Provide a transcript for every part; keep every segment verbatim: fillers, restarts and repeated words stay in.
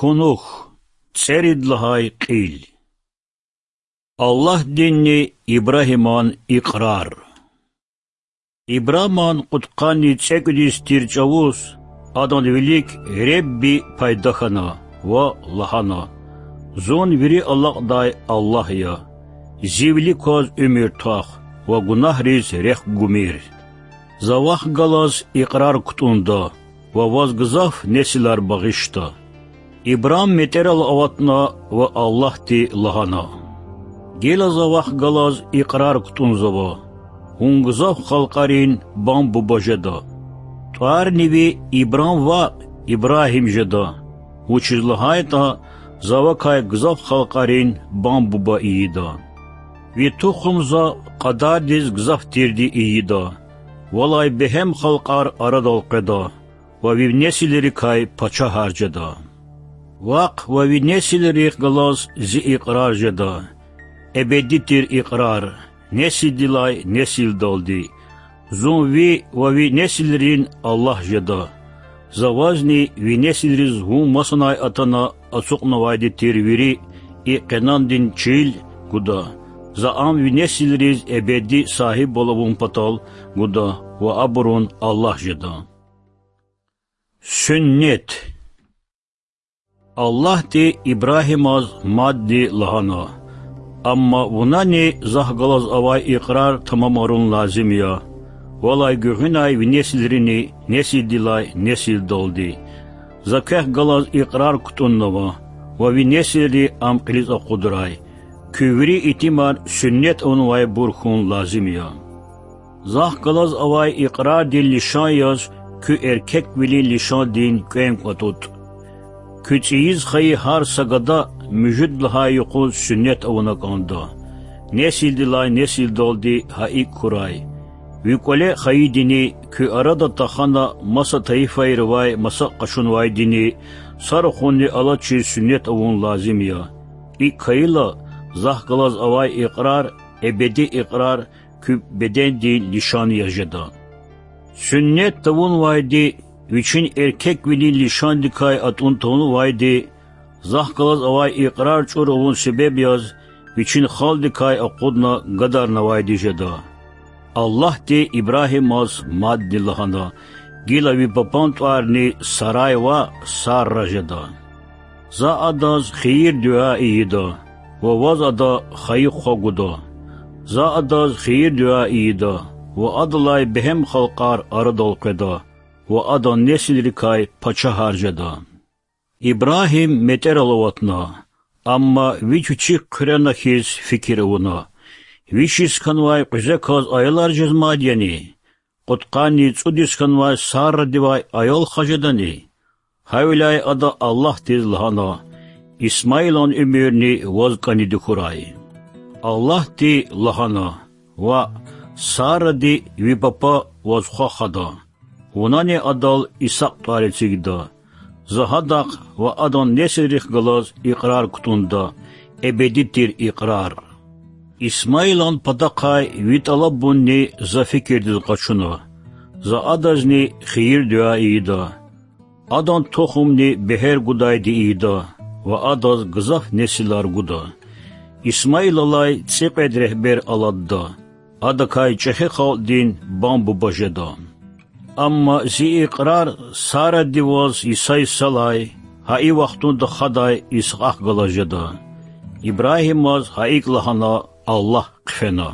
Кунух, цӀерид лагьай кьил. Аллагьдинни Ибрагьиман икьрар. Ибраман кьудкъанни цӀекӀуьд йис тир чӀавуз адан вилик Худа пайда хьана ва лагьана: Зун вири алакьдай Аллагь я. Зи вилик кваз уьмуьр твах ва гунагьриз рехъ гумир. За вахъ галаз икьрар кутӀунда ва ваз гзаф несилар багъишда. Ибрам метӀерал аватна ва Аллагьди лагьана: Гила За вахъ галаз икьрар кутӀунзава: Вун гзаф халкьарин бам-буба жеда. ТӀварни ви Ибрам ваъ, Ибрагьим жеда, вучиз лагьайтӀа За вакай гзаф халкьарин бам-буба ийида. Ви тухум За кьадардиз гзаф тирди ийида, валай бегьем халкьар арадал къведа ва ви несилрикай пачагьар жеда. Вахъ ва ви несилрихъ галаз Зи икьрар жеда, эбеди тир икьрар, несилдилай несилдалди: Зун ви ва ви несилрин Аллагь жеда. За вазни ви несилриз вун масанай атана ацукьнавайди тир вири и къенандин чил гуда, За ам ви несилриз эбеди сагьибвал авун патал гуда ва абурун Аллагь жеда. Суьннет. Аллагьди Ибрагьимаз мадни лагьана: Амма вунани Захъ галаз авай икьрар тамамарун лазим я, валай гуьгъуьнай ви несилрини несилдилай несилдалди. За квехъ галаз икьрар кутӀуннава ва ви несилри ам кьилиз акъудрай. Куь вири итимар суьннет авунвайбур хьун лазим я. Захъ галаз авай икьрардин лишан яз куь эркеквилин лишандин кӀвенкӀ атӀутӀ. Куь цӀийиз хайи гьар са гада муьжуьд лагьай юкъуз суьннет авуна кӀанда. Несилдилай несилдалди гьа икӀ хьурай. Ви кӀвале хайидини, куь арада тахана маса тайифайривай маса къачунвайдини са рахунни алачиз суьннет авун лазим я. ИкӀ хьайила, Захъ галаз авай икьрар, эбеди икьрар, куь бедендин лишан яз жеда. Суьннет тавунвайди, вичин эркеквилин лишандикай атӀун тавунвайди, Захъ галаз авай икьрар чӀур авун себеб яз вичин халкьдикай акъудна гадарнавайди жеда. Аллагьди Ибрагьимаз мадни лагьана: Гила ви папан тӀварни Сарай ваъ, Сарра жеда. За адаз хийир-дуьа ийида ва ваз ада хайи хва гуда. За адаз хийир-дуьа ийида ва адалай бегьем халкьар арадал къведа ва адан несилрикай пачагьар жеда. Ибрагьим метӀерал аватна, амма вич вичик хъуьрена хьиз фикир авуна: Виш йис хьанвай кьуьзеказ аялар жезмайди яни? Кьудкъанни цӀуд йис хьанвай Саррадивай аял хва жедани? Гьавиляй ада Аллагьдиз лагьана: Исмаилан уьмуьрни ваз кӀаниди хьурай. Аллагьди лагьана: Ваъ, Сарради ви папа ваз хва хада. Вунани адал Исакь тӀвар эцигда. За гьадахъ ва адан несилрихъ галаз икьрар кутӀунда, эбеди тир икьрар. Исмаилан патахъай ви тӀалабунни За фикирдиз къачуна. За адазни хийир-дуьа ийида. Адан тухумни бегьер гудайди ийида ва адаз гзаф несилар гуда. Исмаилалай цӀикьвед регьбер аладда. Адакай чӀехи халкьдин бам-буба жеда. Амма Зи икьрар Сарради ваз йиса-йисалай, гьа и вахтунда хадай Исакь галаз жеда. Ибрагьимаз гьа икӀ лагьана Аллагь хъфена.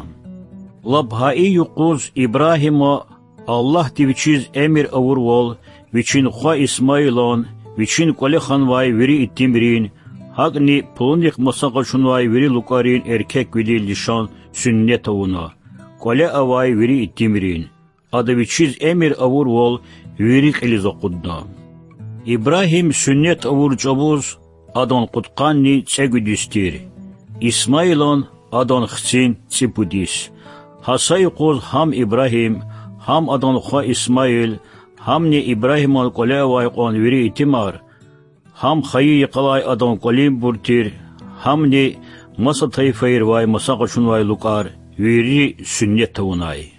Лап гьа и юкъуз Ибрагьима Аллагьди вичиз эмир авурвал вичин хва Исмаилан, вичин кӀвале хьанвай вири итимрин, гьакӀни пулунихъ маса къачунвай вири лукӀарин эркеквилин лишан суьннет авуна, кӀвале авай вири итимрин, ада вичиз эмир авурвал, вири кьилиз акъудна. Ибрагьим суьннет авур чӀавуз адан кьудкъанни цӀекӀуьд йис тир, Исмаилан адан хцин цӀипуд йис. Гьа са юкъуз гьам Ибрагьим, гьам адан хва Исмаил, гьамни Ибрагьиман кӀвале авай кьван вири итимар, гьам хайи йикъалай адан кӀвалинбур тир, гьамни маса тайифайривай маса къачунвай лукӀар вири суьннет авунай.